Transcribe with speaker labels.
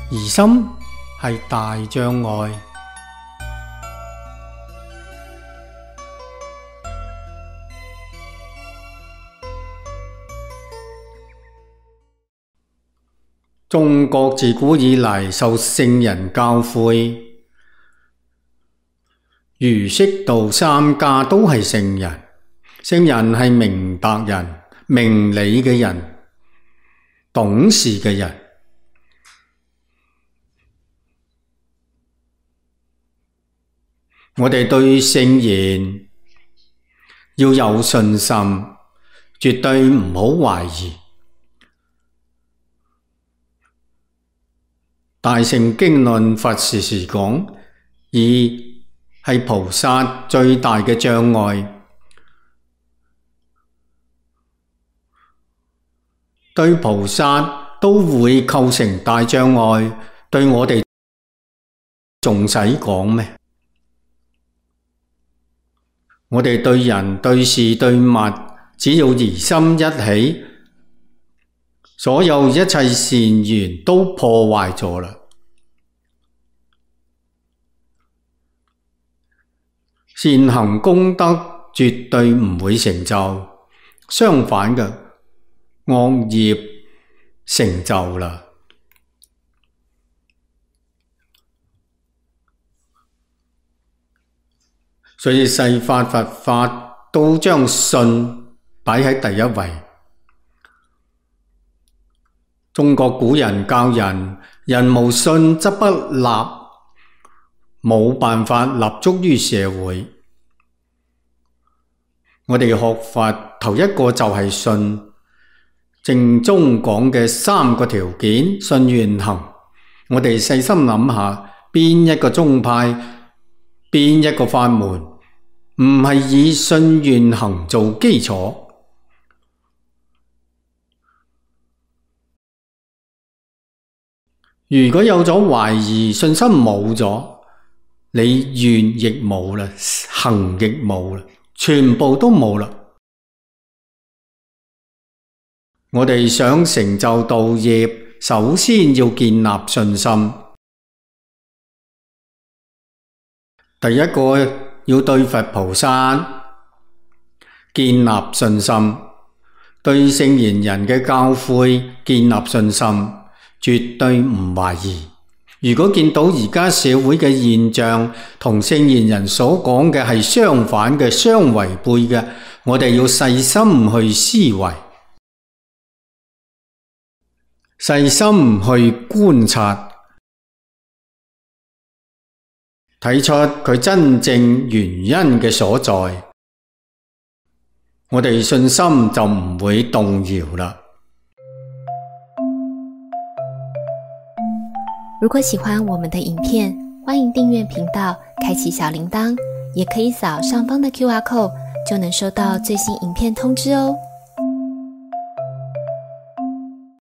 Speaker 1: 疑心係大障礙。中國自古以嚟受聖人教誨，儒釋道三家都係聖人。聖人係明白人、明理嘅人、懂事嘅人。我哋對聖言要有信心，絕對唔好懷疑。大乘經論佛時時講，義係菩薩最大嘅障礙。對菩薩都會構成大障礙，對我哋仲使講咩？我哋對人、對事、對物，只要疑心一起，所有一切善緣都破壞咗啦。善行功德絕對唔會成就，相反嘅，惡業成就啦。所以世法佛法都將信擺喺第一位。中國古人教人，人無信則不立，冇辦法立足於社會。我哋學佛頭一個就係信，正宗講嘅三個條件，信願行。我哋細心諗下，邊一個宗派，邊一個法門，唔係以信願行做基礎？如果有咗懷疑，信心冇咗，你願亦冇啦，行亦冇啦，全部都冇啦。我哋想成就道業，首先要建立信心。第一個要對佛菩薩建立信心，對聖賢人嘅教誨建立信心，絕對唔懷疑。如果見到而家社會嘅現象同聖賢人所講嘅係相反嘅、相違背嘅，我哋要細心去思維，細心去觀察，睇出佢真正原因嘅所在，我哋信心就唔會動搖啦。
Speaker 2: 如果喜歡我們的影片，歡迎訂閱頻道，開啟小鈴鐺，也可以掃上方的QR code，就能收到最新影片通知哦。